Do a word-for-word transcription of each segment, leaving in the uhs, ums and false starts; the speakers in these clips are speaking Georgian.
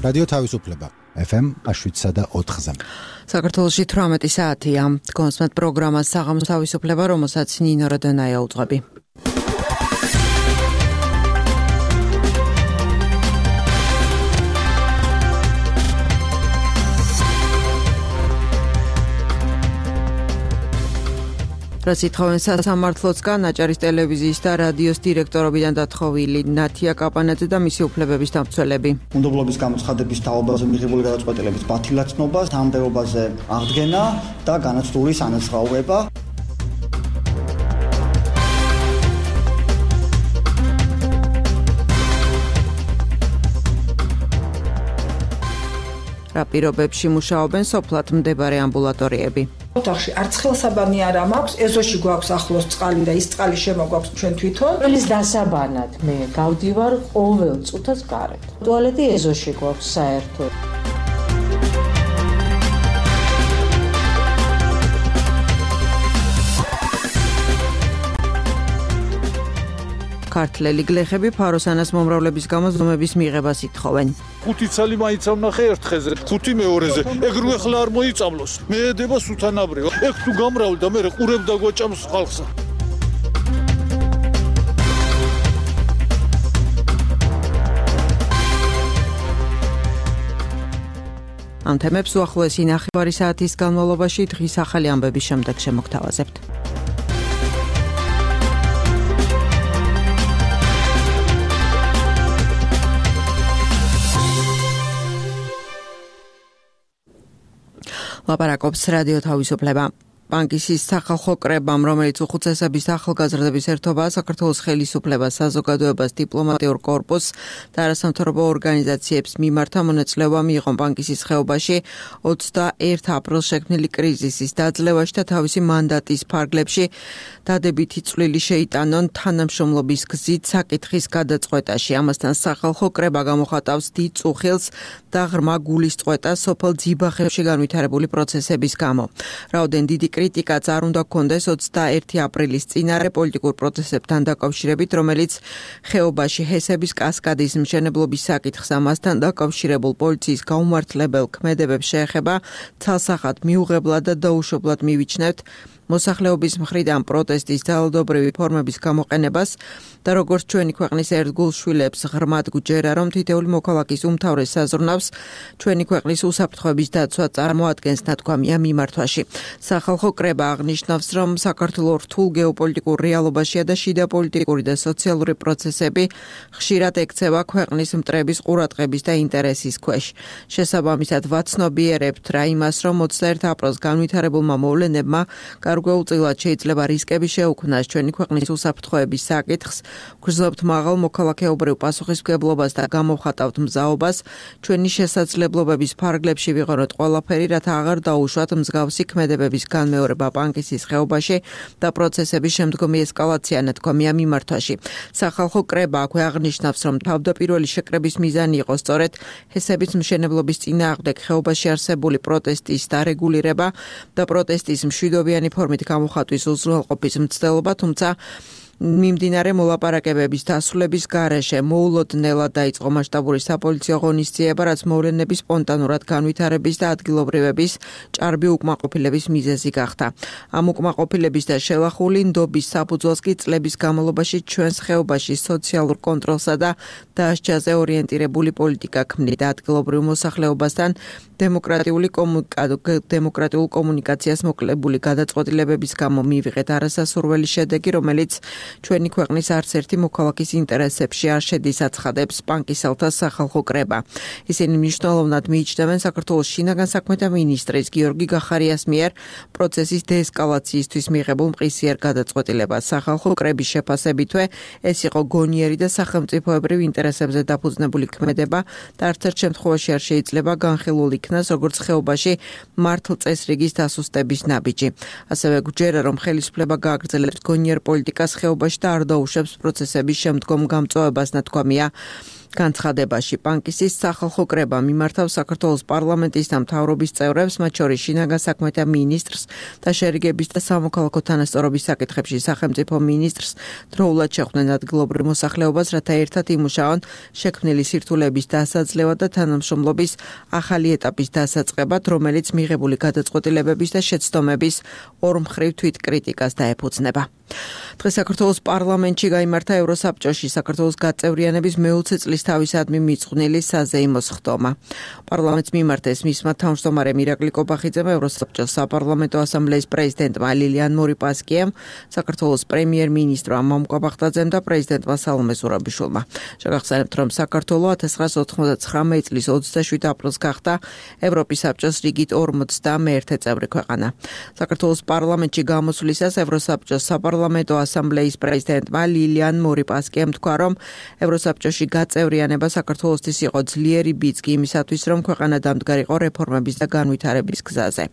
რადიო თავისუფლება ეფ ემ შვიდსა და ოთხზე. საქართველოში თვრამეტი საათია. გონსმათ პროგრამას საღამოს თავისუფლება, რომელსაც ნინო როდონაია უძღვები. რაც ითხოვენ სასამართლოსგან, აჭარის ტელევიზიის და რადიოს დირექტორობიდან დათხოვილი ნათია კაპანაძე და მისი უფლებების დამცველები. უნდობლობის გამოცხადების თაობაზე მიღებული გადაწყვეტილების ბათილაცნობა, თანამდებობაზე აღდგენა და განაცდულის ანაზღაურება. რა პირობებში მუშაობენ სოფლად მდებარე ამბულატორიები. ოთახში არც ხელსაბანი არ მაქვს, ეზოში გვაქვს ახლოს წყალი და ის წყალი შემოგვაქვს ჩვენ თვითონ. ყველის დასაბანად მე გავდივარ ყოველ წუთას გარეთ. ტუალეტი ეზოში გვაქვს საერთოდ. ქართველი გლეხები ფაროსანას მომრავლების გამო ზომების მიღებას ითხოვენ. ხუთი ცალი მაინც ამნახე ერთ ხეზე, ხუთი მეორეზე. ეგ რო ახლა არ მოიწამლოს. მე ედება სუთანაბრიო. ეგ თუ გამრავლდა, მე ყურებ და გვაჭამს ხალხსა. ამ თემებს უახლოესი ნახევარი საათის განმავლობაში დღის ახალი ამბების შემდეგ შემოგთავაზებთ. ლაპარაკობს რადიო თავისუფლება. ბანკისის სახალხო კრებამ, რომელიც უხუცესების ახალგაზრდების ერთობაა, საქართველოს ხელისუფლებას, საზოგადოებას, დიპლომატიურ კორპუსს და არასამთავრობო ორგანიზაციებს მიმართა მონაწილეობა მიიღო ბანკისის ხეობაში ოცდაერთი აპრილს შექმნილი კრიზისის დაძლევაში და თავისი მანდატის ფარგლებში დადებითი წვლილი შეიტანონ თანამშრომლობის გზით საკითხის გადაწყვეტაში. ამასთან სახალხო კრება გამოხატავს დიდ წუხილს და ღრმა გულის წყვეტას სოფელ ძიბახებში განვითარებული პროცესების გამო. რაოდენ დიდი კრიტიკაც არ უნდა გქონდეს ოცდაერთი აპრილის წინარე პოლიტიკურ პროცესებთან დაკავშირებით, რომელიც ხეობაში ჰესების კასკადის მშენებლობის საკითხს ამასთან დაკავშირებულ პოლიციის გაუმართლებელ ქმედებებს შეეხება, ცალსახად მიუღებლად და დაუშვებლად მივიჩნევთ მოსახლეობის მხრიდან პროტესტის ძალადობრივი ფორმების გამოყენებას და როგორც ჩვენი ქვეყნის ერთგულ შვილებს ღრმად გვჯერა, რომ თითოეული მოქალაქის უმთავრეს საზრუნავს ჩვენი ქვეყნის უსაფრთხოების დაცვა წარმოადგენს ნათქვამია მიმართვაში. სახალხო კრება აღნიშნავს, რომ საქართველოს რთულ გეოპოლიტიკურ რეალობაშია და შიდა პოლიტიკური და სოციალური პროცესები ხშირად ექცევა ქვეყნის მტრების ყურადღების და ინტერესის ქვეშ. შესაბამისად ვაცნობიერებთ რა იმას, რომ ოცდაერთი აპრილს განვითარებულმა მოვლენებმა გარკვეულწილად შეიძლება რისკები შეუქმნას ჩვენი ქვეყნის უსაფრთხოების საკითხს, გვგრძნობთ მაღალ მოქალაქეობრივ პასუხისმგებლობას და გამოვხატავთ მზაობას ჩვენი შესაძლებლობების ფარგლებში ვიღოროთ ყველაფერი, რათა აღარ დაუშვათ მსგავსი ქმედებების განმეორება ბანკისის ხეობაში და პროცესების შემდგომი ესკალაცია ნათქვამია მიმართვაში. სახალხო კრება აქვე აღნიშნავს, რომ თავდაპირველი შეკრების მიზანი იყო სწორედ ჰესების მშენებლობის წინააღმდეგ ხეობაში არსებული პროტესტის დარეგულირება და პროტესტის მშვიდობიანი ფორმით გამოხატვის უზრუნველყოფის მცდელობა, თუმცა მიმდინარე მოლაპარაკებების დასრულების გარეშე მოულოდნელად დაიწყო მასშტაბური საპოლიციო ღონისძიება, რაც მოვლენების სპონტანურად განვითარების და ადგილობრივების ჭარბი უკმაყოფილების მიზეზი გახდა. ამ უკმაყოფილების და შელახული ნდობის საფუძველს კი წლების განმავლობაში ჩვენს ხეობაში სოციალურ კონტროლსა და დასჯაზე ორიენტირებული პოლიტიკა ქმნიდა ადგილობრივ მოსახლეობასთან დემოკრატიული დემოკრატიულ კომუნიკაციას მოკლებული გადაწყვეტილებების გამო მივიღეთ არასასურველი შედეგი, რომელიც ჩვენი ქვეყნის არც ერთი მოქალაქის ინტერესებში არ შედის, აცხადებს ბანკისელთა სახალხო კრება. ისინი მნიშვნელოვნად მიიჩნევენ საქართველოს შინაგან საქმეთა მინისტრის გიორგი გახარიას მიერ პროცესის დეესკალაციისთვის მიღებულ მყისიერ გადაწყვეტილებას. სახალხო კრების შეფასებითვე ეს იყო გონიერი და სახელმწიფოებრივ ინტერესებზე დაფუძნებული ქმედება და არც ერთ შემთხვევაში არ შეიძლება განხილულ იქნას როგორც ხეობაში მართლწესრიგის დასუსტების ნაბიჯი. ასევე გვჯერა, რომ ხელისუფლება გააგრძელებს გონიერ პოლიტიკას ხეობაში და არ დაუშვებს პროცესების შემდგომ გამწვავებას, ნათქვამია განცხადებაში. პანკისის სახალხო კრება მიმართავს საქართველოს პარლამენტის და მთავრობის წევრებს, მათ შორის შინაგან საქმეთა მინისტრს და შერიგების და სამოქალაქო თანასწორობის საკითხებში სახელმწიფო მინისტრს დროულად შეხვდნენ ადგილობრივ მოსახლეობას, რათა ერთად იმუშაონ შექმნილი სირთულეების დასაძლევა და თანამშრომლობის ახალი ეტაპის დასაწყებად, რომელიც მიღებული გადაწყვეტილებების და შეცდომების ორმხრივ თვითკრიტიკას დაეფუძნება. დღეს საქართველოს პარლამენტში გაიმართა ევროსაბჭოში საქართველოს გაწევრიანების მეოცე წლის თავისადმი მიწყვნილი საზეიმო სხდომა. პარლამენტს მიმართეს მისმა თავმჯდომარემ ირაკლი კობახიძემ, ევროსაბჭოს საპარლამენტო ასამბლეის პრეზიდენტმა ლილიან მორიპასკიემ, საქართველოს პრემიერ-მინისტრმა მამუკა ბახტაძემ და პრეზიდენტმა სალომე ზურაბიშვილმა. შეგახსენებთ, რომ საქართველო ათას ცხრაასა ოთხმოცდათხრამეტი წლის ოცდაშვიდ აპრილს გახდა ევროპის საბჭოს რიგით ორმოცდამეერთე წევრი ქვეყანა. საქართველოს პარლამენტში გამოსვლისას ევროსაბჭოს საპარლამენტო ასამბლეის პრეზიდენტმა ლილიან მორიპასკიემ თქვა, რომ ევროსაბჭოში გაწევრიანება საქართველოსთვის იყო ძლიერი ბიძგი იმისათვის, რომ ქვეყანა დამდგარიყო რეფორმების და განვითარების გზაზე.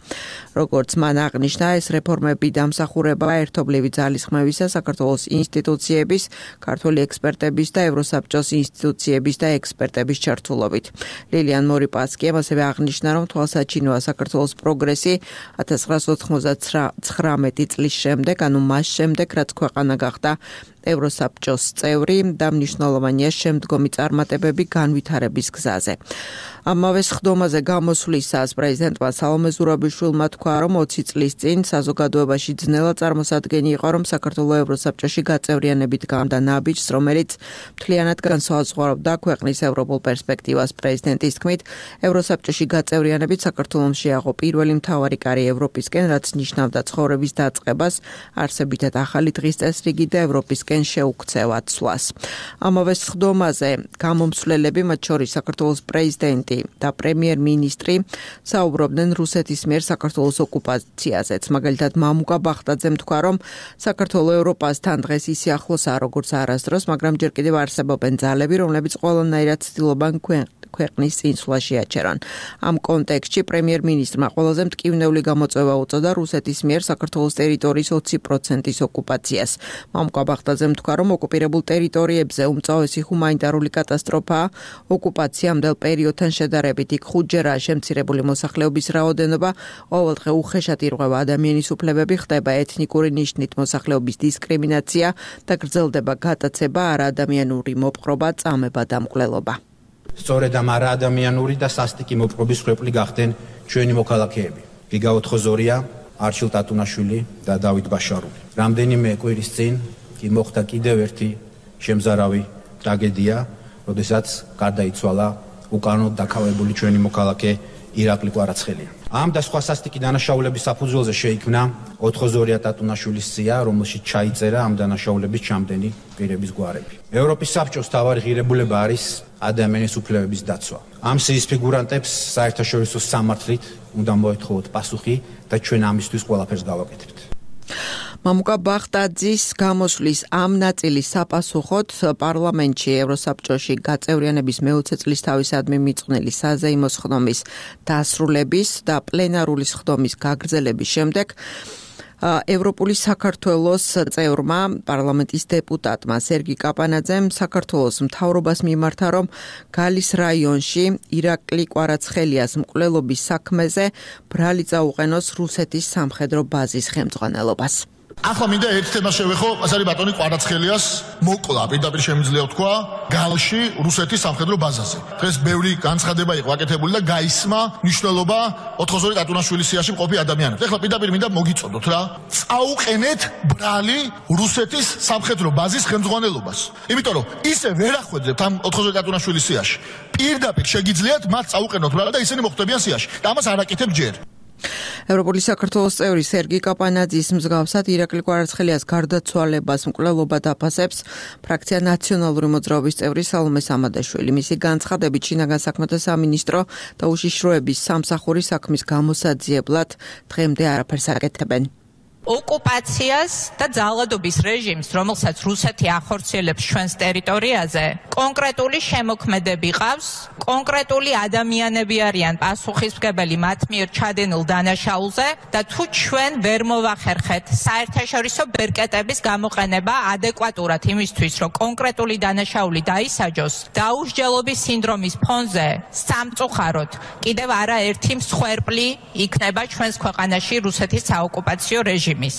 როგორც მან აღნიშნა, ეს რეფორმები დამსახურება ერთობლივი ძალისხმევისა საქართველოს ინსტიტუციების, ქართული ექსპერტების და ევროსაბჭოს ინსტიტუციების და ექსპერტების ჩართულობით. ლილიან მორიპასკიემ ასევე აღნიშნა, რომ თვალსაჩინოა საქართველოს პროგრესი ათას ცხრაასა ოცდაათხრამეტი წლის შემდეგ, ანუ მას შემდეგ, რაც ქვეყანა გახდა ევროსაბჭოს წევრი და მნიშვნელოვანია შემდგომი წარმატებები განვითარების გზაზე. ამავე სხდომაზე გამოსვლისას პრეზიდენტმა სალომე ზურაბიშვილმა თქვა, რომ ოცი წლის წინ საზოგადოებაში ძნელა წარმოსადგენი იყო, რომ საქართველოს ევროსაბჭოში გაწევრიანებით გამდა ნაბიჯს, რომელიც მთლიანად განსაზღვრავდა ქვეყნის ევროპულ პერსპექტივას. პრეზიდენტის თქმით, ევროსაბჭოში გაწევრიანებით საქართველოს შეაღო პირველი მთავარი კარი ევროპისკენ, რაც ნიშნავდა ცხოვრების დაწყებას, არსებითად ახალი დღის წესრიგი და ევროპისკენ შეუქცევა ცვლას. ამავე სხდომაზე გამომსვლელები, მათ შორის საქართველოს პრეზიდენტი და პრემიერ-მინისტრი საუბრობდნენ რუსეთის მიერ საქართველოს ოკუპაციაზეც. მაგალითად, მამუკა ბახტაძემ თქვა, რომ საქართველო ევროპასთან დღეს ისე ახლოსაა, როგორც არასდროს, მაგრამ ჯერ კიდევ არსებობენ ძალები, რომლებიც ყველანაირად ცდილობენ ქვეყნის წინსვლა შეაჩერონ. ამ კონტექსტში პრემიერ-მინისტრმა ყველაზე მტკივნეული გამოწვევა უწოდა რუსეთის მიერ საქართველოს ტერიტორიის ოცი პროცენტის ოკუპაციას. მამუკა ბახტაძემ თქვა, რომ ოკუპირებულ ტერიტორიებზე უმწვავესი ჰუმანიტარული კატასტროფაა. ოკუპაციამდელ პერიოდთან შედარებით იქ ხუთჯერაა შემცირებული მოსახლეობის რაოდენობა, ყოველდღე უხეშად ირღვევა ადამიანის უფლებები, ხდება ეთნიკური ნიშნით მოსახლეობის დისკრიმინაცია და გრძელდება გატაცება, არაადამიანური მოპყრობა, წამება და მკვლელობა. სწორედ ამ არაადამიანური და სასტიკი მოპყრობის ხვეპლი გახდნენ ჩვენი მოქალაქეები. გიგა ოთხოზორია, არჩილ ტატუნაშვილი და დავით ბაშარული. რამდენიმე კვირის წინ კი მოხდა კიდევ ერთი შემზარავი ტრაგედია, როდესაც გარდაიცვალა უკანონოდ დაქავებული ჩვენი მოქალაქე ირაკლი კვარაცხელია. ამ და სხვა სასტიკი დანაშაულების საფუძველზე შეიქმნა ოთხოზორია ტატუნაშვილის სია, რომელშიც ჩაიწერა ამ დანაშაულების ჩამდენი პირების გვარები. ევროპის საბჭოს მთავარი ღირებულება არის ადამიანის უფლებების დაცვა. ამ სიის ფიგურანტებს საერთაშორისო სამართლით უნდა მოეთხოვოთ პასუხი და ჩვენ ამისთვის ყველაფერს გავაკეთებთ. მამუკა ბახტაძის გამოსვლის ამ ნაწილის საპასუხოდ პარლამენტში ევროსაბჭოში გაწევრიანების მეოცე წლის თავისადმი მიწყვნილი საზეიმო სხდომის დასრულების და პლენარული სხდომის გაგრძელების შემდეგ ევროპული საქართველოს წევრმა პარლამენტის დეპუტატმა სერგი კაპანაძემ საქართველოს მთავრობას მიმართა, რომ გალის რაიონში ირაკლი კვარაცხელიას მკვლელობის საქმეზე ბრალი წაუყენოს რუსეთის სამხედრო ბაზის ხელმძღვანელობას. ახლა მინდა ერთ თემას შევეხო, ეს არის ბატონი კვარაცხელიას მოკლა, პირდაპირ შემიძლია ვთქვა, გალში რუსეთის სამხედრო ბაზაზე. დღეს ბევრი განცხადება იყო აკეთებული და გაისმა მნიშვნელობა ოთხოზორი ტატუნაშვილის სიაში მყოფი ადამიანებს. ეხლა პირდაპირ მინდა მოგიწოდოთ რა. წაუყენეთ ბრალი რუსეთის სამხედრო ბაზის ხელმძღვანელობას. იმიტომ რომ ისე ვერ ახვედრებთ ამ ოთხოზორი ტატუნაშვილის სიაში. პირდაპირ შეგიძლიათ მათ წაუყენოთ ბრალი და ისინი მოხვდებიან სიაში. და ამას არ აკეთებ ჯერ. ევროპული საქართველოს წევრი სერგი კაპანაძის მსგავსად ირაკლი კვარაცხელიას გარდაცვალებას მკვლელობა დაფასებს ფრაქცია ნაციონალური მოძრაობის წევრი სალომე სამადაშვილი. მისი განცხადებით შინაგან საქმეთა სამინისტრო და უშიშროების სამსახური საქმის გამოსაძიებლად დღემდე არაფერს აკეთებენ. ოკუპაციას და ძალადობის რეჟიმს, რომელსაც რუსეთი ახორციელებს ჩვენს ტერიტორიაზე, კონკრეტული შემოქმედები ყავს, კონკრეტული ადამიანები არიან პასუხისმგებელი მათ მიერ ჩადენილ დანაშაულზე და თუ ჩვენ ვერ მოვახერხეთ საერთაშორისო ბერკეტების გამოყენება ადეკვატურად იმისთვის, რომ კონკრეტული დანაშაული დაისაჯოს, დაუსჯელობის სინდრომის ფონზე სამწუხაროდ კიდევ არაერთი მსხვერპლი იქნება ჩვენს ქვეყანაში რუსეთის საოკუპაციო რეჟიმის.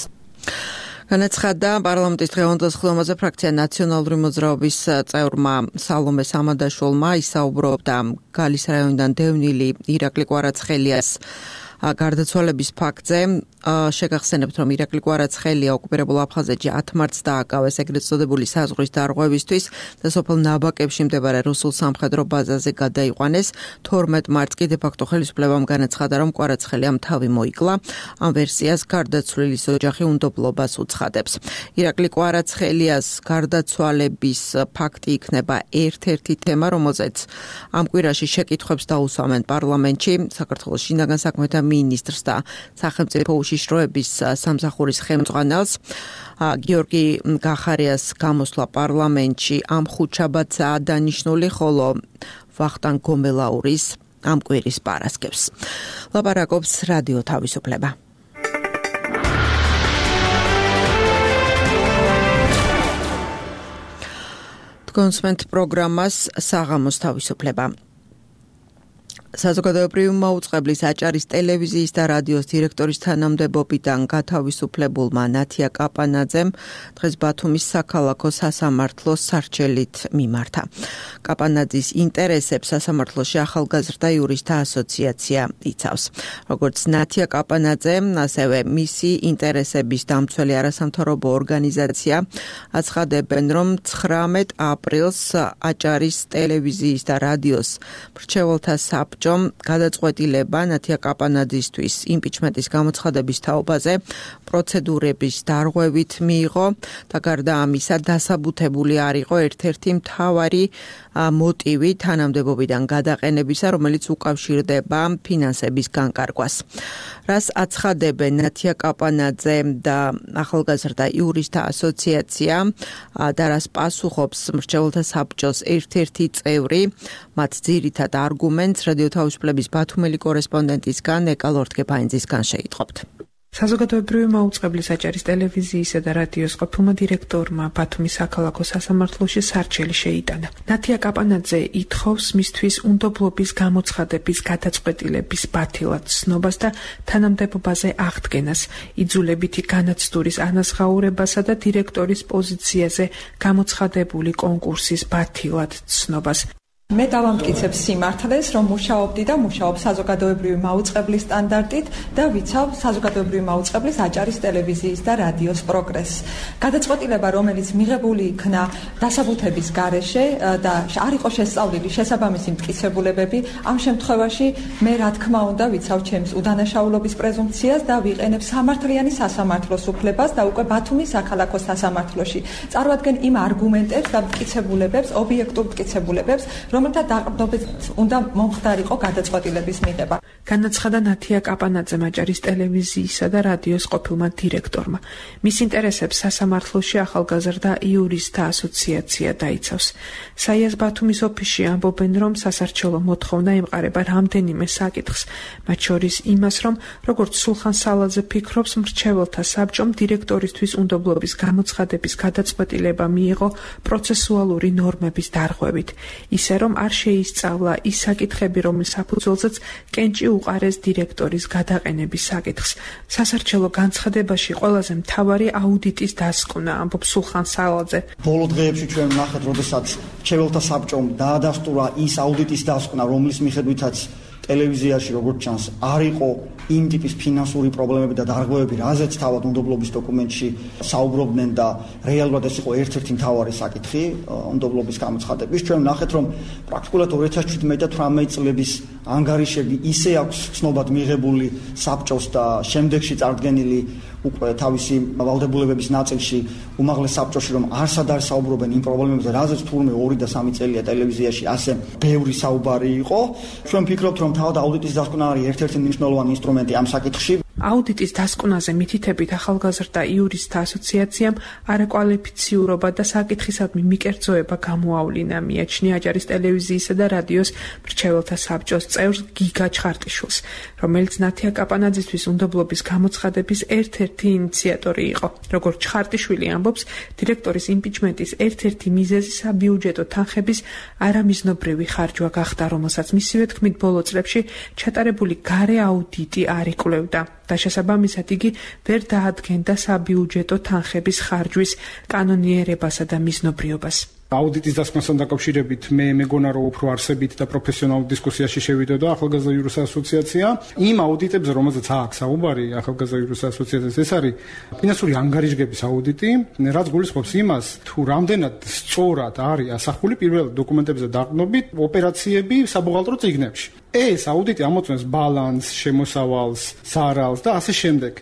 განაცხადა პარლამენტის დღევანდელ ხილვაზე ფრაქცია ნაციონალური მოძრაობის წევრმა სალომე სამადაშვილმა. ისაუბრობდა გალის რაიონიდან დევნილი ირაკლი კვარაცხელიას გარდაცვალების ფაქტზე. შეგახსენებთ, რომ ირაკლი კვარაცხელია ოკუპირებულ აფხაზეთში ათ მარტს დააკავეს ეგრეთ წოდებული საზღვრის დარღვევისთვის და სოფელ ნაბაკებში მდებარე რუსულ სამხედრო ბაზაზე გადაიყვანეს. თორმეტ მარტს კი დე-ფაქტო ხელისუფლებამ განაცხადა, რომ კვარაცხელიამ თავი მოიკლა. ამ ვერსიას გარდაცვლილის ოჯახი უნდობლობას უცხადებს. ირაკლი კვარაცხელიას გარდაცვალების ფაქტი იქნება ერთ-ერთი თემა, რომელზეც ამ კვირაში შეკითხვებს დაუსვამენ პარლამენტში. საქართველოს შინაგან საქმეთა მინისტრს და სახელმწიფო უშიშროების სამსახურის ხელმძღვანელს. გიორგი გახარიას გამოსვლა პარლამენტში ამ ხუთშაბათსაა დანიშნული, ხოლო ვახტანგ გომელაურის ამ კვირის პარასკევს. ლაპარაკობს რადიო თავისუფლება. კონსმენტ პროგრამას საღამოს თავისუფლება. საზოგადოებრივი მაუწყებლის აჭარის ტელევიზიის და რადიოს დირექტორის თანამდებობიდან გათავისუფლებულმა ნათია კაპანაძემ დღეს ბათუმის საქალაქო სასამართლოს სარჩელით მიმართა. კაპანაძის ინტერესებს სასამართლოში ახალგაზრდა იურისტთა ასოციაცია იცავს. როგორც ნათია კაპანაძე, ასევე მისი ინტერესების დამცველი არასამთავრობო ორგანიზაცია აცხადებენ, რომ ცხრამეტ აპრილს აჭარის ტელევიზიის და რადიოს მრჩეველთა საბჭო გადაწყვეტილება ნათია კაპანაძისთვის იმპიჩმენტის გამოცხადების თაობაზე პროცედურების დარღვევით მიიღო და გარდა ამისა დასაბუთებული არ იყო ერთ-ერთი მთავარი მოტივი თანამდებობიდან გადაყენებისა, რომელიც უკავშირდება ფინანსების განკარგვას. რას აცხადებენ ნათია კაპანაძე და ახალგაზრდა იურისტთა ასოციაცია და რას პასუხობს მრჩეველთა საბჭოს ერთ-ერთი წევრი, მათ ძირითად არგუმენტს რადიო თავისუფლების ბათუმელი კორესპონდენტისგან ეკალ ორთქეფაინძისგან შეიტყობთ. საზოგადოებრივი მაუწყებლის აჭარის ტელევიზიისა და რადიოს ყოფილმა დირექტორმა ბათუმის საქალაქო სასამართლოში სარჩელი შეიტანა. ნათია კაპანაძე ითხოვს მისთვის უნდობლობის გამოცხადების გადაწყვეტილების ბათილად ცნობას და თანამდებობაზე აღდგენას, იძულებითი განაცდურის ანაზღაურებასა და დირექტორის პოზიციაზე გამოცხადებული კონკურსის ბათილად ცნობას. მე დავამტკიცებ სიმართლეს, რომ მუშაობდი და მუშაობ საზოგადოებრივი მაუწყებლის სტანდარტით და ვიცავ საზოგადოებრივი მაუწყებლის აჭარის ტელევიზიის და რადიოს პროგრესს. გადაწყვეტილება, რომელიც მიღებული იქნა დასაბუთების გარეშე და არ იყო შესწავლილი შესაბამისი მტკიცებულებები, ამ შემთხვევაში მე რა თქმა უნდა ვიცავ ჩემს უდანაშაულობის პრეზუმპციას და ვიყენებ სამართლიანი სასამართლოს უფლებას და უკვე ბათუმის საქალაქო სასამართლოში წარვადგენ იმ არგუმენტებს და მტკიცებულებებს, ობიექტურ მტკიცებულებებს, რომელთა დაყრდნობით უნდა მომხდარიყო გადაწყვეტილების მიღება. განაცხადა ნათია კაპანაძემ აჭარის ტელევიზიისა და რადიოს ყოფილმა დირექტორმა. მის ინტერესებს სასამართლოში ახალგაზრდა იურისტთა ასოციაცია დაიცავს. საიას ბათუმის ოფისში ამბობენ, რომ სასარჩელო მოთხოვნა ემყარება რამდენიმე საკითხს, მათ შორის იმას, რომ როგორც სულხან სალაძე ფიქრობს, მრჩეველთა საბჭომ დირექტორისთვის უნდობლობის გამოცხადების გადაწყვეტილება მიიღო პროცესუალური ნორმების დარღვევით. ისე რომ არ შეისწავლა ის საკითხები, რომლის საფუძველზეც კენჭი უყარეს დირექტორის გადაყენების საკითხს. სასარჩელო განცხადებაში ყველაზე მთავარი აუდიტის დასკვნა, ამბობს სულხან სალაძე. ბოლო დღეებში ჩვენ ვნახეთ, როდესაც მრჩეველთა საბჭომ დაადასტურა ის აუდიტის დასკვნა, რომლის მიხედვითაც ტელევიზიაში როგორც ჩანს არ იყო იმ ტიპის ფინანსური პრობლემები და დარღვევები, რაზეც თავად უნდობლობის დოკუმენტში საუბრობდნენ და რეალურად ეს იყო ერთ-ერთი მთავარი საკითხი უნდობლობის გამოცხადების. ჩვენ ვნახეთ, რომ პრაქტიკულად ორი ათას შვიდმეტი და თვრამეტი წლების ანგარიშები ისე აქვს ცნობად მიღებული საბჭოს და შემდეგში წარდგენილი უკვე თავისი ვალდებულებების ნაწილში უმაღლეს საბჭოში, რომ არსად არ საუბრობენ იმ პრობლემებზე, რაზეც თურმე ორი და სამი წელია ტელევიზიაში ასე ბევრი საუბარი იყო. ჩვენ ვფიქრობთ, რომ თავად აუდიტის დასკვნა არის ერთ-ერთი მნიშვნელოვანი ინსტრუმენტი ამ საკითხში. აუდიტის დასკვნაზე მითითებით ახალგაზრდა იურისტთა ასოციაციამ არაკვალიფიციურობა და საკითხისადმი მიკერძოება გამოავლინა, მიაჩნია აჭარის ტელევიზიისა და რადიოს მრჩეველთა საბჭოს წევრს გიგა ჩხარტიშვილს, რომელიც ნათია კაპანაძისთვის უნდობლობის გამოცხადების ერთ-ერთი ინიციატორი იყო. როგორც ჩხარტიშვილი ამბობს, დირექტორის იმპიჩმენტის ერთ-ერთი მიზეზი საბიუჯეტო თანხების არამიზნობრივი ხარჯვა გახდა, რომელსაც მისივე თქმით ბოლო წლებში ჩატარებული გარე აუდიტი არ იკვლევდა. და შესაბამისად იგი ვერ დაადგენდა საბიუჯეტო თანხების ხარჯვის კანონიერებასა და მიზნობრიობას. აუდიტის დასკვნასთან დაკავშირებით მე მეგონა რომ უფრო არსებით და პროფესიონალურ დისკუსიაში შევიდოდა ახალგაზრდა იურისტთა ასოციაცია. იმ აუდიტებზე, რომელზეც აქვს საუბარი ახალგაზრდა იურისტთა ასოციაციას, ეს არის ფინანსური ანგარიშგების აუდიტი, რაც გულისხმობს იმას, თუ რამდენად სწორად არის ასახული პირველ დოკუმენტებზე დაყრდნობით ოპერაციები საბუღალტრო წიგნებში. ეს აუდიტი ამოწმებს ბალანსს, შემოსავალს, ზარალს და ასე შემდეგ.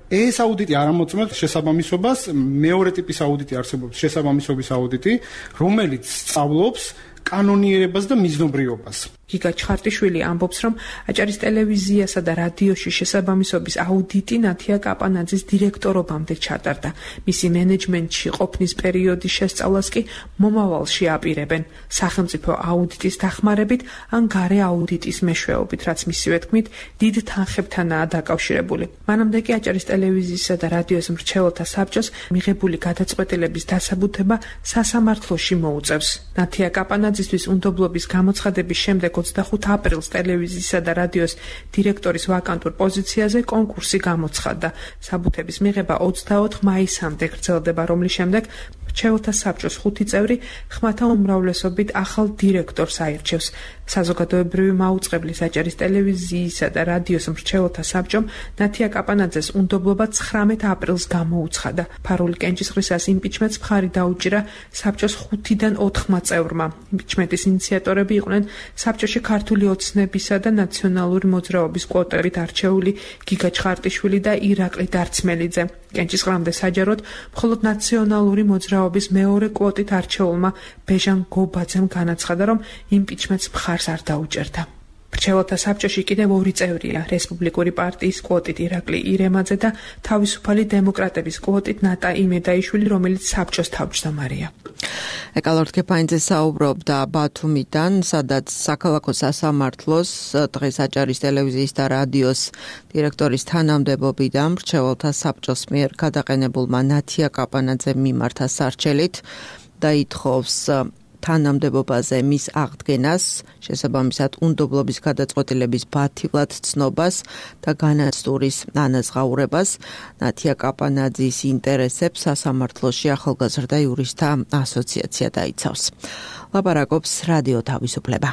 ეს აუდიტი არ ამოწმებს შესაბამისობას, მეორე ტიპის აუდიტი არსებობს, შესაბამისობის აუდიტი, რომელიც სწავლობს კანონიერებას და მიზნობრიობას. გიგა ჩხარტიშვილი ამბობს, რომ აჭარის ტელევიზიასა და რადიოში შესაბამისობის აუდიტი ნათია კაპანაძის დირექტორობამდე ჩატარდა. მისი მენეჯმენტში ყოფნის პერიოდის შესწავლას კი მომავალში აპირებენ, სახელმწიფო აუდიტის დახმარებით ან გარე აუდიტის მეშვეობით, რაც მისივე თქმით დიდ თანხებთანაა დაკავშირებული. მანამდე კი აჭარის ტელევიზიისა და რადიოს მრჩეველთა საბჭოს მიღებული გადაწყვეტილების დასაბუთება სასამართლოში მოუწევს. ნათია კაპანაძისთვის უნდობლობის გამოცხადების შემდეგ ოცდახუთი აპრილს ტელევიზიისა და რადიოს დირექტორის ვაკანტურ პოზიციაზე კონკურსი გამოცხადდა. საბუთების მიღება ოცდაოთხ მაისამდე გრძელდება, რომლის შემდეგ მრჩეველთა საბჭოს ხუთი წევრი ხმათა უმრავლესობით ახალ დირექტორს აირჩევს. საზოგადოებრივი მაუწყებლის აჭარის ტელევიზიისა და რადიოს მრჩეველთა საბჭომ ნათია კაპანაძეს უნდობლობა ცხრამეტ აპრილს გამოუცხადა. ფარული კენჭისყრისას იმპიჩმენტს მხარი დაუჭირა საბჭოს ხუთიდან ოთხმა წევრმა. იმპიჩმენტის ინიციატორები იყვნენ საბჭოში ქართული ოცნებისა და ნაციონალური მოძრაობის კვოტებით არჩეული გიგა ჩხარტიშვილი და ირაკლი დარცმელიძე. კენჭისყრამდე საჯაროდ მხოლოდ ნაციონალური მოძრაობის მეორე კვოტით არჩეულმა ბეჟან გობაძემ განაცხადა, რომ იმპიჩმენტს მხარს არ დაუჭერდა. მრჩეველთა საბჭოში კიდევ ორი წევრია, რესპუბლიკური პარტიის კვოტით ირაკლი ირემაძე და თავისუფალი დემოკრატების კვოტით ნატა იმედაიშვილი, რომელიც საბჭოს თავმჯდომარეა. ეკალორთ კეფაინძე საუბრობდა ბათუმიდან, სადაც საქალაქო სასამართლოს დღეს აჭარის ტელევიზიის და რადიოს დირექტორის თანამდებობიდან მრჩეველთა საბჭოს მიერ გადაყენებულმა ნათია კაპანაძემ მიმართა სარჩელით და ითხოვს თანამდებობაზე მის აღდგენას, შესაბამისად უნდობლობის გადაწყვეტილების ბათილად ცნობას და განაცდურის ანაზღაურებას. ნათია კაპანაძის ინტერესებს სასამართლოში ახალგაზრდა იურისტთა ასოციაცია დაიცავს. ლაპარაკობს რადიო თავისუფლება.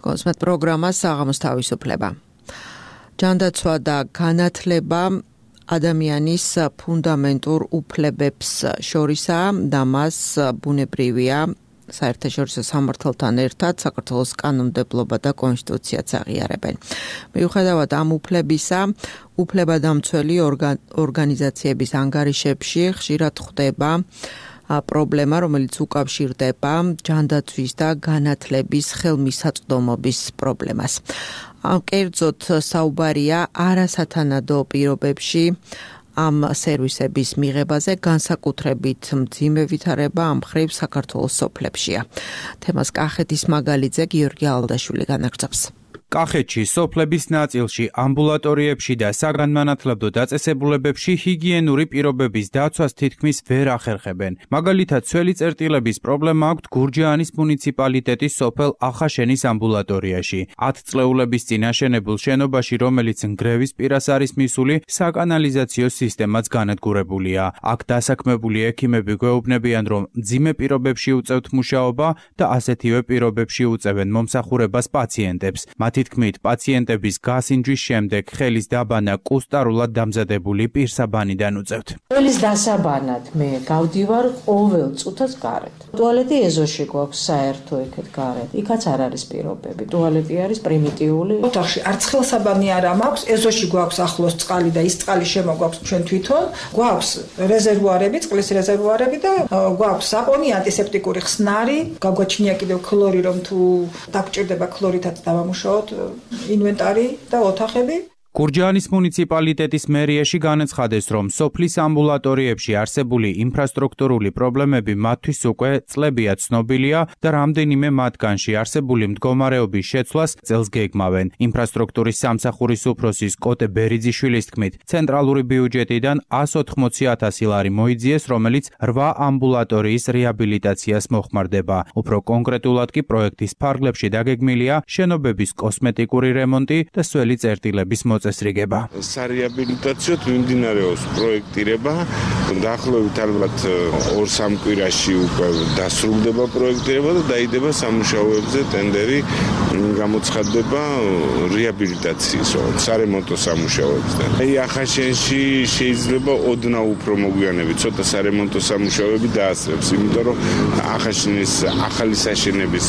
კონსმეთ პროგრამა საღამოს თავისუფლება. ჯანდაცვა და განათლება ადამიანის ფუნდამენტურ უფლებებს შორისაა და მას ბუნებრივია საერთაშორისო სამართალთან ერთად საქართველოს კანონმდებლობა და კონსტიტუციაც აღიარებენ. მიუხედავად ამ უფლებისა, უფლებადამცველი ორგანიზაციების ანგარიშებში ხშირად ხდება პრობლემა, რომელიც უკავშირდება ჯანდაცვის და განათლების ხელმისაწვდომობის პრობლემას. კერძოდ საუბარია არასათანადო პირობებში ამ სერვისების მიღებაზე, განსაკუთრებით მძიმე ვითარება ამ მხრივ საქართველოს სოფლებშია. თემას კახეთის მაგალითზე გიორგი ალდაშვილი განაგრძობს. კახეთში სოფლების ნაწილში, ამბულატორიებში და საგანმანათლებლო დაწესებულებებში ჰიგიენური პირობების დაცვას თითქმის ვერ ახერხებენ. მაგალითად, ცველი წერტილების პრობლემა აქვთ გურჯაანის მუნიციპალიტეტის სოფელ ახაშენის ამბულატორიაში. ათწლეულების წინ აშენებულ შენობაში, რომელიც ნგრევის პირას არის მისული, საკანალიზაციო სისტემაც განადგურებულია. აქ დასაქმებული ექიმები გვეუბნებიან, რომ მძიმე პირობებში უწევთ მუშაობა და ასეთივე პირობებში უწევენ მომსახურებას პაციენტებს. მათი თქმით, პაციენტების გასინჯვის შემდეგ ხელის დაბანა კუსტარულად დამზადებული პირსაბანიდან უწევთ. ხელის დასაბანად მე გავდივარ ყოველ წუთას გარეთ. ტუალეტი ეზოში გვაქვს საერთო ეკეთ გარეთ. იქაც არ არის პირობები. ტუალეტი არის პრიმიტიული. ოთახში არც ხელსაბანი არ მაქვს, ეზოში გვაქვს ახლოს წყალი და ის წყალი შემოგვაქვს ჩვენ თვითონ. გვაქვს რეზერვუარები, წყლის რეზერვუარები და გვაქვს საპონი, ანტისეპტიკური ხსნარი, გაგვაჩნია კიდევ ქლორი, რომ თუ დაგჭირდება ქლორითაც დავამუშაოთ ინვენტარი და ოთახები. გურჯაანის მუნიციპალიტეტის მერიაში განაცხადეს, რომ სოფლის ამბულატორიებში არსებული ინფრასტრუქტურული პრობლემები მათთვის უკვე წლებია ცნობილია და რამდენიმე მათგანში არსებული მდგომარეობის შეცვლას წელს გეგმავენ. ინფრასტრუქტურის სამსახურის უფროსის კოტე ბერიძიშვილის თქმით, ცენტრალური ბიუჯეტიდან ას ოთხმოცი ათასი ლარი მოიძიეს, რომელიც რვა ამბულატორიის რეაბილიტაციას მოხმარდება. უფრო კონკრეტულად კი პროექტის ფარგლებში დაგეგმილია შენობების კოსმეტიკური რემონტი და სველი წერტილების მოწესრიგება. სარეაბილიტაციოდ მიმდინარეობს პროექტირება. დაახლოებით ალბათ ორ სამ კვირაში უკვე დასრულდება პროექტირება და დაიდება სამუშაოებზე ტენდერი, გამოცხადდება რეაბილიტაციის, სარემონტო სამუშაოებზე. აი ახაშენში შეიძლება ოდნავ უფრო მოგვიანებით ცოტა სარემონტო სამუშაოები დაასრულებს, იმიტომ რომ ახაშენის ახალი საშენების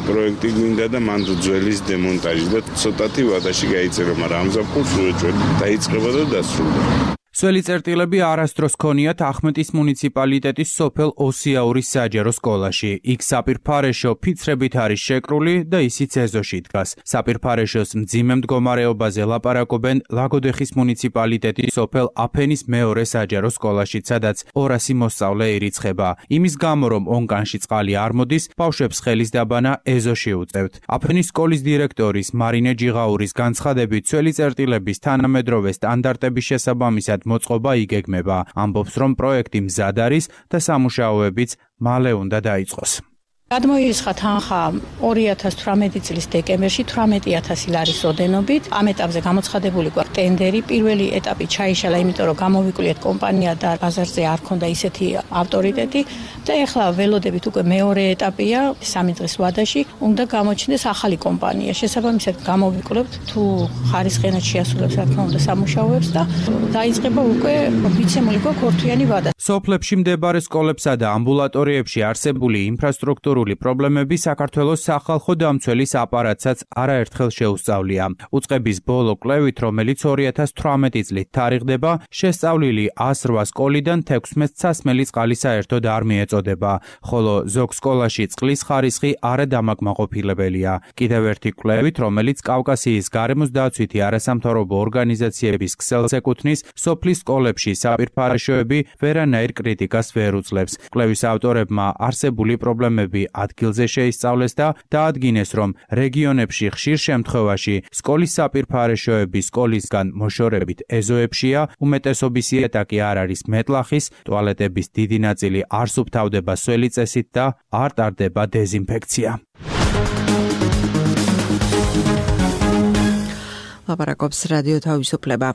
პროექტი გვინდა და მანდ ძველის დემონტაჟი და ცოტათი ვადაში გაიწერა, მაგრამ ამზაფხულს უეჭველი დაიწყება და დასრულდება. სველი წერტილები არასდროს ქონიათ ახმეტის მუნიციპალიტეტის სოფელ ოსიაურის საჯარო სკოლაში. იქ საპირფარეშო ფიცრებით არის შეკრული და ისიც ეზოში დგას. საპირფარეშოს მძიმე მდგომარეობაზე ლაპარაკობენ ლაგოდეხის მუნიციპალიტეტის სოფელ აფენის მეორე საჯარო სკოლაში, სადაც ორასი მოსწავლე ირიცხება. იმის გამო, რომ ონკანში წყალი არ მოდის, ბავშვებს ხელის დაბანა ეზოში უწევთ. აფენის სკოლის დირექტორის მარინე ჯიღაურის განცხადებით, სველი წერტილების თანამედროვე სტანდარტების შესაბამისად მოწყობა იგეგმება. ამბობს, რომ პროექტი მზად არის და სამუშაოებიც მალე უნდა დაიწყოს. გადმოირიცხა თანხა ორი ათას თვრამეტი წლის დეკემბერში თვრამეტი ათასი ლარის ოდენობით. ამ ეტაპზე გამოცხადებული გვაქვს ტენდერი. პირველი ეტაპი ჩაიშალა, იმიტომ რომ გამოვიკვლიეთ კომპანია და ბაზარზე არ ქონდა ისეთი ავტორიტეტი და ეხლა ველოდებით უკვე მეორე ეტაპია, სამი დღის ვადაში უნდა გამოჩნდეს ახალი კომპანია. შესაბამისად გამოვიკლებთ თუ ხარისხენად შეასრულებს რა თქმა უნდა სამუშაოებს და დაიწყება უკვე მიცემული გვაქვს ორთვიანი ვადა. სოფლებში მდებარე სკოლებსა და ამბულატორიებში არსებული ინფრასტრუქტურული პრობლემები საქართველოს სახალხო დამცველის აპარატსაც არაერთხელ შეუსწავლია. უწყების ბოლო კვლევით, რომელიც ორი ათას თვრამეტი წლით თარიღდება, შესწავლილი ას რვა სკოლიდან თექვსმეტ სასმელი წყალი საერთოდ არ მიეწოდება, ხოლო ზოგ სკოლაში წყლის ხარისხი არადამაკმაყოფილებელია. კიდევ ერთი კვლევით, რომელიც კავკასიის გარემოს დაცვითი არასამთავრობო ორგანიზაციების ქსელს ეკუთვნის, სოფლის სკოლებში საპირფარეშოები ვერანაირ კრიტიკას ვერ უძლებს. კვლევის ავტორებმა არსებული პრობლემები ადგილზე შეისწავლეს და დაადგინეს, რომ რეგიონებში ხშირ შემთხვევაში სკოლის საპირფარეშოები სკოლისგან მოშორებით ეზოებშია, უმეტესობის იატაკი არ არის მეტლახის, ტუალეტების დიდი ნაწილი არ სუფთავდება სველი წესით და არ ტარდება დეზინფექცია. ლაპარაკობს რადიო თავისუფლება.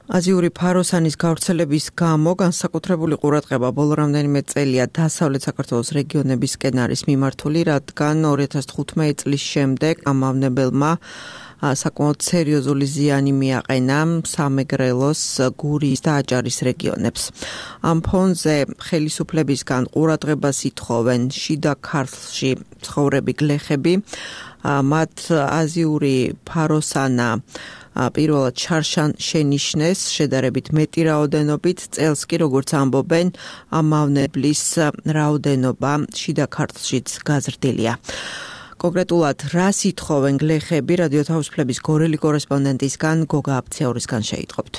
აზიური ფაროსანის გავრცელების გამო განსაკუთრებული ყურადღება ბოლო რამდენიმე წელია დასავლეთ საქართველოს რეგიონებისკენ არის მიმართული, რადგან ორი ათას თხუთმეტი წლის შემდეგ ამავნებელმა საკმაოდ სერიოზული ზიანი მიაყენა სამეგრელოს, გურიის და აჭარის რეგიონებს. ამ ფონზე ხელისუფლებისგან ყურადღებას ითხოვენ შიდა ქართლში ცხოვრები გლეხები, მათ აზიური ფაროსანა პირველად შარშან შენიშნეს შედარებით მეტი რაოდენობით, წელს კი როგორც ამბობენ, ამავნებლის რაოდენობა შიდა ქართლშიც გაზრდილია. კონკრეტულად რას ითხოვენ გლეხები, რადიო თავისუფლების გორელი კორესპონდენტისგან გოგა აფციაურისგან შეიტყობთ.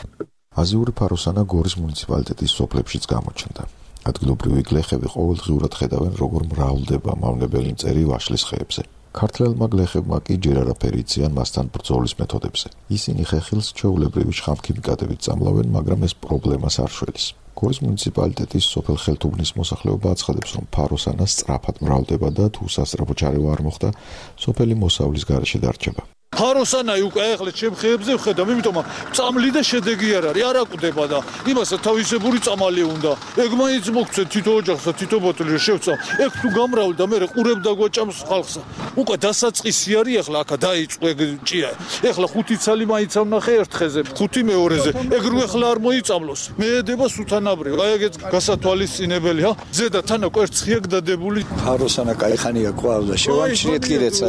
აზიური ფაროსანა გორის მუნიციპალიტეტის სოფლებშიც გამოჩნდა. ადგილობრივი გლეხები ყოველდღიურად ხედავენ, როგორ მრავლდება მავნებელი მწერი ვაშლის ხეებზე. ქართველმა გლეხებმა კი ჯერ არაფერი იციან მასთან ბრძოლის მეთოდებზე. ისინი ხეხილს ჩვეულებრივი შხამქიმიკატებით წამლავენ, მაგრამ ეს პრობლემას არ შველის. გორის მუნიციპალიტეტის სოფელ ხელთუბნის მოსახლეობა აცხადებს, რომ ფაროსანა სწრაფად მრავლდება და თუ სასწრაფო ჩარევა არ მოხდა, სოფელი მოსავლის გარეშე დარჩება. ფაროსანაი უკვე ახლა ჩემ ხეებზე ვხედავ, იმიტომ რომ წამლი და შედეგი არ არის, არ აკვდება და იმასაც თავისებური წამალი უნდა. ეგ მაინც მოგცე თითო ოჯახსა, თითო ბოთლი შევწა. ეგ თუ გამრავალ და მე ყურებ და გვაჭამს ხალხსა. უკვე დასაწყისი არის ახლა აქა დაიწყო ეგ ჭია. ახლა ხუთი ცალი მაინც ავნახე ერთ ხეზე, ხუთი მეორეზე. ეგ რო ახლა არ მოიწამლოს. მე ედება სუთანაბრივ. აი ეგეც გასათვალისწინებელია. ზედა თანა კვერცხია გდადებული. ფაროსანა кайხანია ყავდა შევამჩნიეთ კიდეცა.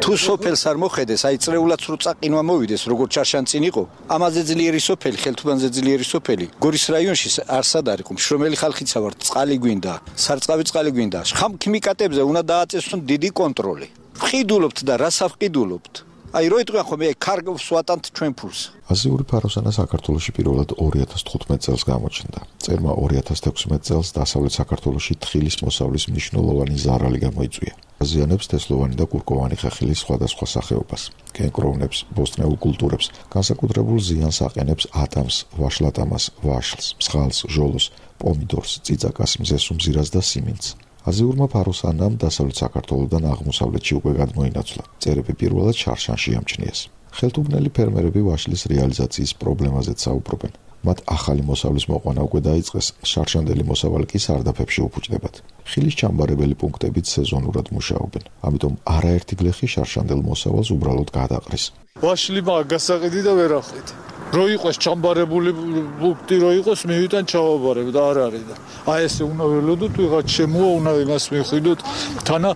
თუ სოფელს არ მოხედეს, აი წრეულად რო წაყინვა მოვიდეს, როგორც ჩარშანწინ იყო. ამაზე ძლიერი სოფელი, ხელთუბანზე ძლიერი სოფელი. გორის რაიონში არსად არ იყო. შრომელი ხალხიცა ვართ, წყალი გვინდა, სარწყავი წყალი გვინდა. ხამ ქიმიკატებზე უნდა დააწესონ დიდი კონტროლი. ვყიდულობთ და რას ავყიდულობთ? აი რო იტყვიან ხომ მე კარგავს ვატანთ ჩვენ ფულს. აზიური ფაროსანა საქართველოში პირველად ორი ათას თხუთმეტ წელს გამოჩნდა. წერმა ორი ათას თექვსმეტ წელს დასავლეთ საქართველოში თხილის მოსავლის მნიშვნელოვანი ზარალი გამოიწვია. აზიანებს თესლოვანი და კურკოვანი ხეხილის სხვადასხვა სახეობას, კენკროვნებს, ბოსტნეულ კულტურებს, განსაკუთრებულ ზიანს აყენებს ატამს, ვაშლატამას, ვაშლს, მსხალს, ჟოლოს, პომიდორს, წიწაკას, მზესუმზირას და სიმინდს. აზიურმა ფაროსანამ დასავლეთ საქართველოდან აღმოსავლეთში უკვე გადმოინაცვლა. წერები პირველად შარშანში ამჩნიეს. ხელთუბნელი ფერმერები ვაშლის რეალიზაციის პრობლემაზეც საუბრობენ. მათ ახალი მოსავლის მოყვანა უკვე დაიწყეს, შარშანდელი მოსავალი კი სარდაფებში უფუჭდებათ. ხილის ჩამბარებელი პუნქტებიც სეზონურად მუშაობენ. ამიტომ არაერთი გლეხი შარშანდელ მოსავალს უბრალოდ გადაყრის. ვაშლი მაგ გასაყიდი და ვერ ახვით. რო იყოს ჩამბარებული პუნქტი რო იყოს, მივიტან ჩავაბარებ და არ არის და აი ესე უნდა ველოდოთ, ვიღაც შემოა, უნდა იმას მიხვიდოთ, თანა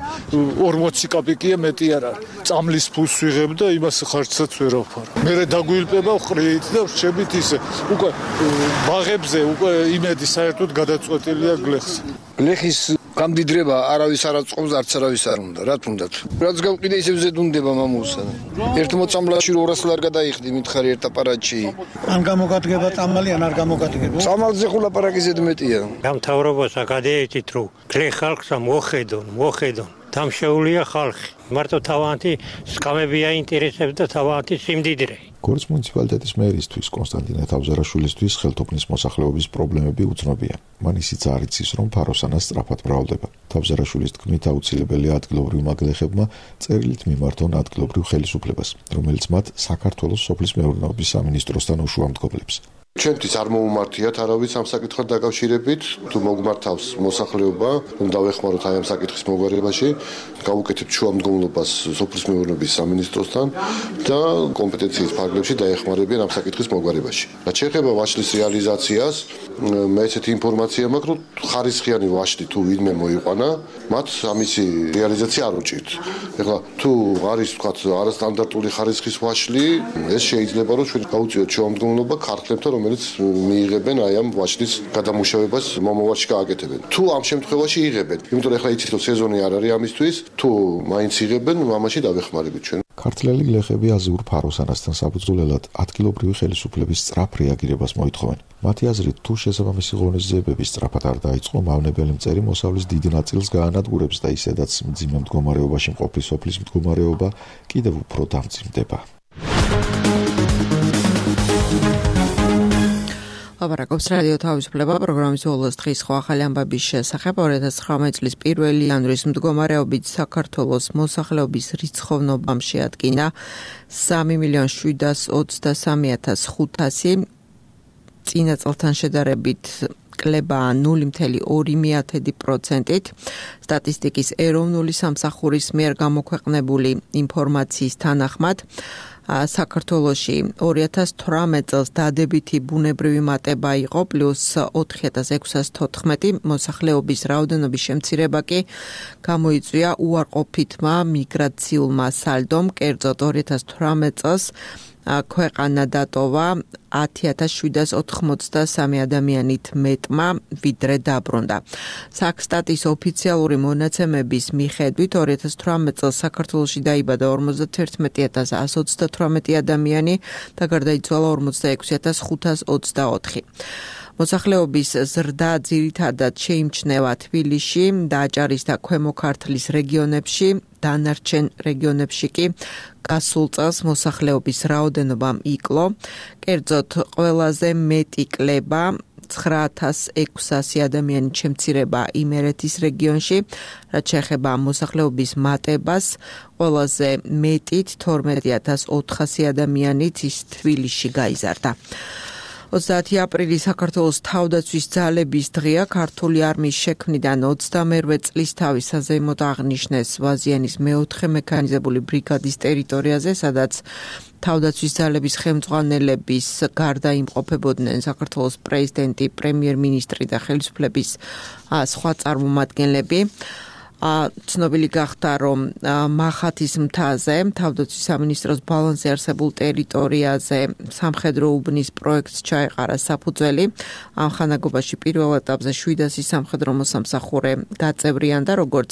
ორმოცი კაპიკია მეტი არ არის. წამლის ფულს ვიღებ და იმას ხარჯსაც ვერ ავფარ. მე დაგვილპება ხრით და რჩებით ისე. უკვე ბაღებზე უკვე იმედი საერთოდ გადაწყვეტილია გლეხს. გლეხის გამდიდრება არავის არ აწყობს, არც არავის არ უნდა, რა თუნდაც. რაც გავყიდე ისევ ზედუნდება მამულსა. ერთ მოწამლაში ორას არ გადაიხდი, მითხარი ერთ აპარატში. ან გამოგადგება წამალი, ან არ გამოგადგება. წამალზე ხულაპარაკი ზედმეტია. გამთავრებასა გადაეჭით, რომ გლეხ ხალხსა მოხედონ, მოხედონ. დამშეულია ხალხი. მარტო თავანთი სკამები აინტერესებს და თავანთი სიმდიდრე. გორის მუნიციპალიტეტის მერისთვის კონსტანტინე თავზარაშვილისთვის ხელთუბნის მოსახლეობის პრობლემები უცნობია. მან ისიც არ იცის, რომ ფაროსანა სწრაფად მრავლდება. თავზარაშვილის თქმით აუცილებელია ადგილობრივმა გლეხებმა წერილით მიმართონ ადგილობრივ ხელისუფლებას, რომელიც მათ საქართველოს სოფლის მეურნეობის სამინისტროსთან უშუამდგომლებს. ჩვენთვის არ მოუმართიათ არავის ამ საკითხთან დაკავშირებით, თუ მოგმართავს მოსახლეობა, რომ დავეხმაროთ აი ამ საკითხის მოგვარებაში, გავუკეთებთ შუამდგომლობას სოფლის მეურნეობის სამინისტროსთან და კომპეტენციის ფარგლებში დაეხმარებიან ამ საკითხის მოგვარებაში. რაც შეეხება ვაშლის რეალიზაციას, მე ესეთი ინფორმაცია მაქვს, რომ ხარისხიანი ვაშლი თუ ვინმე მოიყვანა, მათ ამისი რეალიზაცია არ უჭირთ. ეხლა თუ არის თქვათ არასტანდარტული ხარისხის ვაშლი, ეს შეიძლება რომ ჩვენ გავუწიოთ შუამდგომლობა ქართლებთან, რომელიც მიიღებენ აი ამ ვაშლის გადამუშავებას მომავალში გააკეთებენ. თუ ამ შემთხვევაში იღებენ, იმიტომ რომ ეხლა იცით რომ სეზონი არ არის ამისთვის, თუ მაინც იღებენ, მამაში დავეხმარებით ჩვენ. ქართველი გლეხები აზიურ ფაროსანასთან საფუძვლელად ადგილობრივი ხელისუფლების სწრაფ რეაგირებას მოითხოვენ. მათი აზრით, თუ შესაბამისი ღონისძიებები სწრაფად არ დაიწყო, მავნებელი მწერი მოსავლის დიდ ნაწილს გაანადგურებს და ისედაც მძიმე მდგომარეობაში მყოფი სოფლის მდგომარეობა კიდევ უფრო დამძიმდება. ლაპარაკობს რადიო თავისუფლება პროგრამის ოლოს დღის ხო ახალი ამბების შესახებ. ორი ათას ცხრამეტ წლის პირველი იანვრის მდგომარეობით საქართველოს მოსახლეობის რიცხოვნობამ შეადგინა სამი მილიონი შვიდას ოცდასამი ათას ხუთასი. წინა წელთან შედარებით კლება ნული მცდე ორი პროცენტით. სტატისტიკის ეროვნული სამსახურის მიერ გამოქვეყნებული ინფორმაციის თანახმად საქართველოში ორი ათას თვრამეტ წელს დადებითი ბუნებრივი მატება იყო პლუს ოთხი ათას ექვსას თოთხმეტი, მოსახლეობის რაოდენობის შემცირება კი გამოიწვია უარყოფითმა მიგრაციულმა სალდომ. კერძოდ ორი ათას თვრამეტ წელს ქვეყანა დატოვა ათი ათას შვიდას ოთხმოცდასამი ადამიანით მეტმა, ვიდრე დაბრუნდა. საქსტატის ოფიციალური მონაცემების მიხედვით ორი ათას თვრამეტ წელს საქართველოში დაიბადა ორმოცდაათი ათას ასი ოცდათვრამეტი ადამიანი და გარდაიცვალა ორმოცდაექვსი ათას ხუთას ოცდაოთხი. მოსახლეობის ზრდა ძირითადად შეიმჩნევა თბილისში, დააჭარის და ქვემო ქართლის რეგიონებში, დანარჩენ რეგიონებში კი გასულ წელს მოსახლეობის რაოდენობამ იკლო. კერძოდ ყველაზე მეტი კლება ცხრაათას ექვსასი ადამიანი შემცირება იმერეთის რეგიონში, რაც შეეხება მოსახლეობის მატებას, ყველაზე მეტით თორმეტი ათას ოთხასი ადამიანით ის თბილისში გაიზარდა. ოცდაათი აპრილი საქართველოს თავდაცვის ძალების დღეა. ქართული არმიის შექმნიდან ოცდამერვე წლის თავის საზეიმოდ აღნიშნეს ვაზიანის მეოთხე მექანიზებული ბრიგადის ტერიტორიაზე, სადაც თავდაცვის ძალების ხელმძღვანელების გარდა იმყოფებოდნენ საქართველოს პრეზიდენტი, პრემიერ-მინისტრი და ხელისუფლების სხვა წარმომადგენლები. ცნობილი გახდა, რომ მახათის მთაზე, თავდაცვის სამინისტროს ბალანსზე არსებულ ტერიტორიაზე სამხედრო უბნის პროექტს ჩაეყარა საფუძველი. ამ ხანაგობაში პირველ ეტაპზე შვიდასი სამხედრო მოსამსახურე გაწევრიანდა, როგორც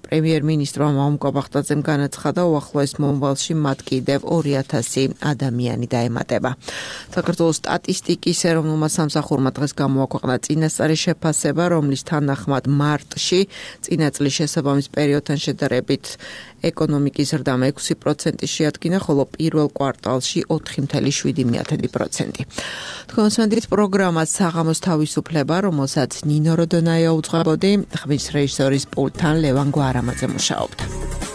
პრემიერ-მინისტრმა მამუკა ბახტაძემ განაცხადა, უახლოეს მომავალში მათ კიდევ ორი ათასი ადამიანი დაემატება. საქართველოს სტატისტიკის ეროვნულმა სამსახურმა დღეს გამოაქვეყნა წინასწარი შეფასება, რომლის თანახმად მარტში წინა წლის შესაბამის პერიოდთან შედარებით ეკონომიკის ზრდა ექვსი პროცენტი შეადგინა, ხოლო პირველ კვარტალში ოთხი წუთი შვიდი პროცენტი. თქვენს პროგრამას საღამოს თავისუფლება, რომელსაც ნინო როდონაია უძღვებოდი, ხმის რეჟისორის პულტთან ლევან გვარამაძე მუშაობდა.